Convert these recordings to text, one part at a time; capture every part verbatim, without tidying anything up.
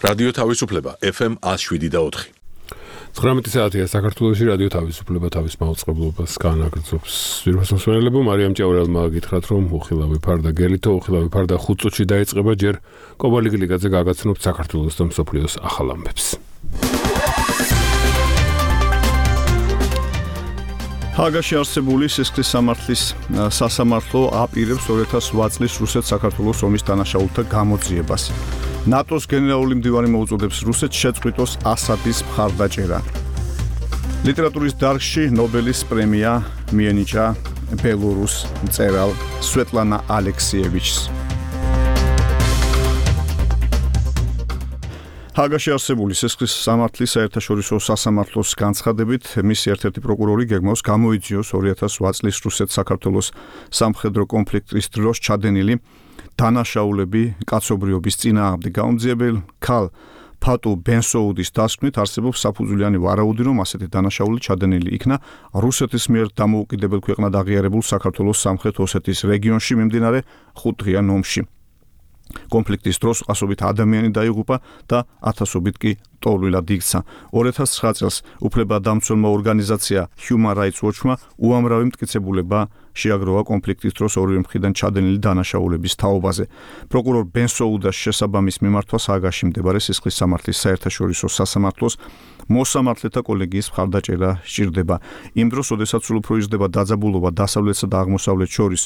რადიო თავისუფლება ეფ ემ one oh seven და four. ცხრამეტი საათია საქართველოში რადიო თავისუფლება თავის მაუწყებლობას განაგრძობს. ვირუსმსმენელებო მარიამ ჭაურელმა გითხრათ რომ უხილავი ფარდა გელითო უხილავი ფარდა ხუთ წუთში დაიწყება ჯერ კობალიგლიკაძე გაგაცნობთ საქართველოს და მსოფლიოს ახალ ამბებს. ჰაგაში არსებული სისხლის სამართლის სასამართლო აპირებს two thousand eight წლის რუსეთ-საქართველოს ომის დანაშაულთა გამოძიებას. ნატოს გენერალური მდივანი მოუწოდებს რუსეთს შეწყვიტოს ასადის მხარდაჭერა. ლიტერატურის დარგში ნობელის პრემია მიენიჭა ბელორუს მწერალ სვეტლანა ალექსიევიჩს. ჰაგაში არსებული სისხლის სამართლის საერთაშორისო სასამართლოს განცხადებით მისი ერთ-ერთი პროკურორი გეგმავს გამოიძიოს two thousand eight წლის რუსეთ-საქართველოს სამხედრო კონფლიქტის დროს ჩადენილი დანაშაულები კაცობრიობის წინააღმდეგ გაუმძიებელ ქალ ფატუ ბენსოუდის დასკვნით არსებობს საფუძვლიანი ვარაუდი, რომ ასეთი დანაშაული ჩადენილი იქნა რუსეთის მიერ დამოუკიდებელ ქვეყნად აღიარებულ საქართველოს სამხრეთ ოსეთის რეგიონში მიმდინარე ხუთდღიან ომში. კონფლიქტის დროს ასობით ადამიანი დაიღუპა და ათასობით კი ტოლვილად იქცა. two thousand nine წელს უფლებადამცველმა ორგანიზაცია Human Rights Watch-მა უამრავი მტკიცებულება შეაგროვა კონფლიქტის დროს ორივე მხრიდან ჩადენილი დანაშაულების თაობაზე. პროკურორ ბენსოუდას შესაბამის მიმართვას ჰაგაში მდებარე სისხლის სამართლის საერთაშორისო სასამართლოს მოსამართლეთა კოლეგიის მხარდაჭერა სჭირდება. იმ დროს, როდესაც სულ უფრო იზრდება დაძაბულობა დასავლეთსა და აღმოსავლეთს შორის,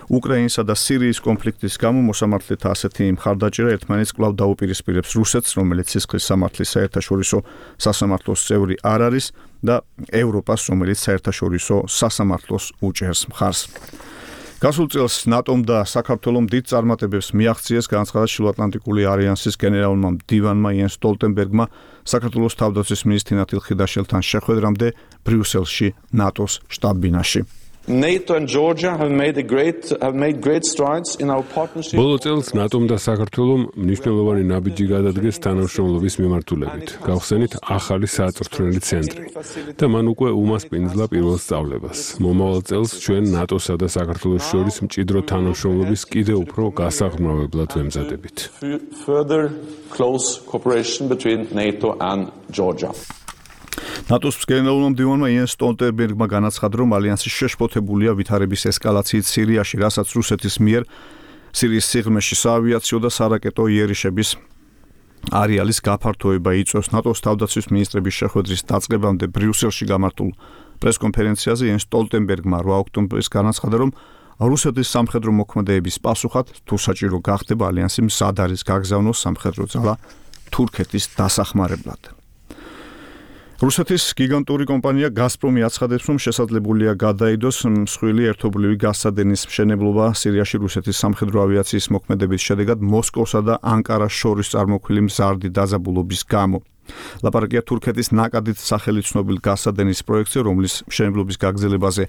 უკრაინისა და სირიის კონფლიქტის გამო მოსამართლეთა ასეთი მხარდაჭერა ერთმანეთს კვლავ დაუპირისპირებს რუსეთს, რომელიც სისხლის სამართლის საერთაშორისო სასამართლოს წევრი არ არის და ევროპას, რომელიც საერთაშორისო სასამართლოს უჭერს მხარს. გასულ წელს ნატომ და საქართველომ დიდ წარმატებებს მიაღწიეს განაცხადა შილოატლანტიკური ალიანსის გენერალურმა მდივანმა იენს სტოლტენბერგმა საქართველოს თავდაცვის მინისტრი ნათილ ხიდაშელთან შეხვედრამდე ბრიუსელში ნატოს შტაბ-ბინაში. NATO and Georgia have made a great have made great strides in our partnership. ბოლო წელს ნატომ და საქართველომ მნიშვნელოვანი ნაბიჯი გადადგეს თანამშრომლობის მიმართულებით. გავხსენით ახალი საწვრთნელი ცენტრი და მან უკვე უმასპინძლა პირველ სწავლებას. მომავალ წელს ჩვენ ნატოსა და საქართველოს შორის მჭიდრო თანამშრომლობის კიდევ უფრო გასაღრმავებლად ვემზადებით. Further close cooperation between NATO and Georgia. ნატოს გენერალურმა მდივანმა იენს სტოლტენბერგმა განაცხადა, რომ ალიანსი შეშფოთებულია ვითარების ესკალაციით სირიაში, რასაც რუსეთის მიერ სირიის სიღრმეში საავიაციო და სარაკეტო იერიშების არეალის გაფართოება იწვევს. ნატოს თავდაცვის მინისტრების შეხვედრის დაწყებამდე ბრიუსელში გამართულ პრესკონფერენციაზე იენს სტოლტენბერგმა eight ოქტომბრის განაცხადა, რომ რუსეთის სამხედრო მოქმედებების პასუხად თუ საჭირო გახდება ალიანსი მზად არის გაგზავნოს სამხედრო ძალა თურქეთის დასახმარებლად. რუსეთის გიგანტური კომპანია გაზპრომი აცხადებს, რომ შესაძლებელია გადაიდოს მსხვილი ერთობლივი გაზსადენის მშენებლობა სირიაში რუსეთის სამხედრო ავიაციის მოქმედების შედეგად მოსკოვსა და ანკარას შორის წარმოქმნილი მზარდი დაძაბულობის გამო. ლაპარაკია თურქეთის ნაკადით სახელი ცნობილ გაზსადენის პროექტზე, რომლის მშენებლობის გაგრძელებაზე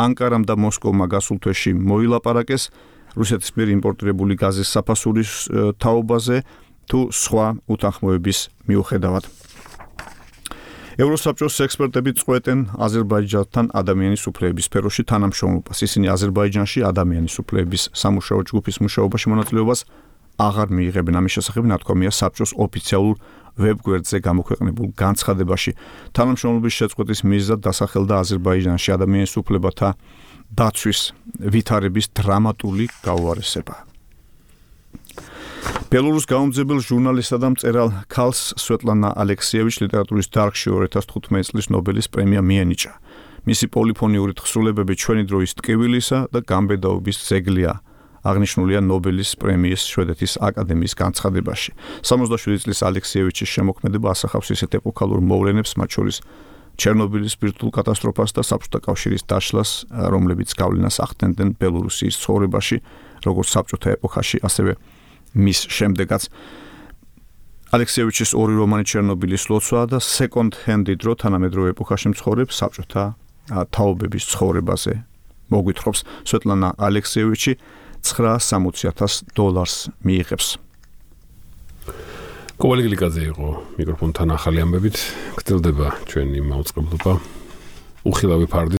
ანკარამ და მოსკოვმა გასულ თვეში მოილაპარაკეს რუსეთის მიერ იმპორტირებული გაზის საფასურის თაობაზე თუ სხვა უთანხმოების მიუხედავად. ევროსაბჭოს ექსპერტები წყვეტენ აზერბაიჯანთან ადამიანის უფლებების სფეროში თანამშრომლობას. ისინი აზერბაიჯანში ადამიანის უფლებების სამუშაო ჯგუფის მუშაობაში მონაწილეობას აღარ მიიღებენ. ამის შესახებ ნათქვამია საბჭოს ოფიციალურ ვებგვერდზე გამოქვეყნებულ განცხადებაში. თანამშრომლობის შეწყვეტის მიზეზად დასახელდა აზერბაიჯანში ადამიანის უფლებათა დაცვის ვითარების დრამატული გაუარესება. ბელორუს გაუმძებელ ჟურნალისტსა და მწერალ ქალს სვეტლანა ალექსიევიჩს ლიტერატურის დარგში two thousand fifteen წლის ნობელის პრემია მიენიჭა. მისი პოლიფონიური თხზულებები ჩვენი დროის ტკივილისა და გამბედაობის ძეგლია. აღნიშნულია ნობელის პრემიის შვედეთის აკადემიის განცხადებაში. სამოცდაშვიდი წლის ალექსიევიჩის შემოქმედება ასახავს ისეთ ეპოქალურ მოვლენებს, მათ შორის ჩერნობილის სპირტულ კატასტროფას და საბჭოთა კავშირის დაშლას, რომლებიც გავლენას ახდენდნენ ბელორუსიის ცხოვრებაში, როგორც საბჭოთა ეპოქაში, ასევე მის შემდეგაც. ალექსიევიჩის ორი რომანი ჩერნობილის ლოცვა და second hand დრო თანამედროვე ეპოქაში მცხოვრებ საბჭოთა თაობების ცხოვრებაზე მოგვითხრობს. სვეტლანა ალექსიევიჩი nine hundred sixty thousand დოლარს მიიღებს. კობალიგლიკაძე იყო მიკროფონთან ახალი ამბებით. გრძელდება ჩვენი მაუწყებლობა. უხილავი ფარდი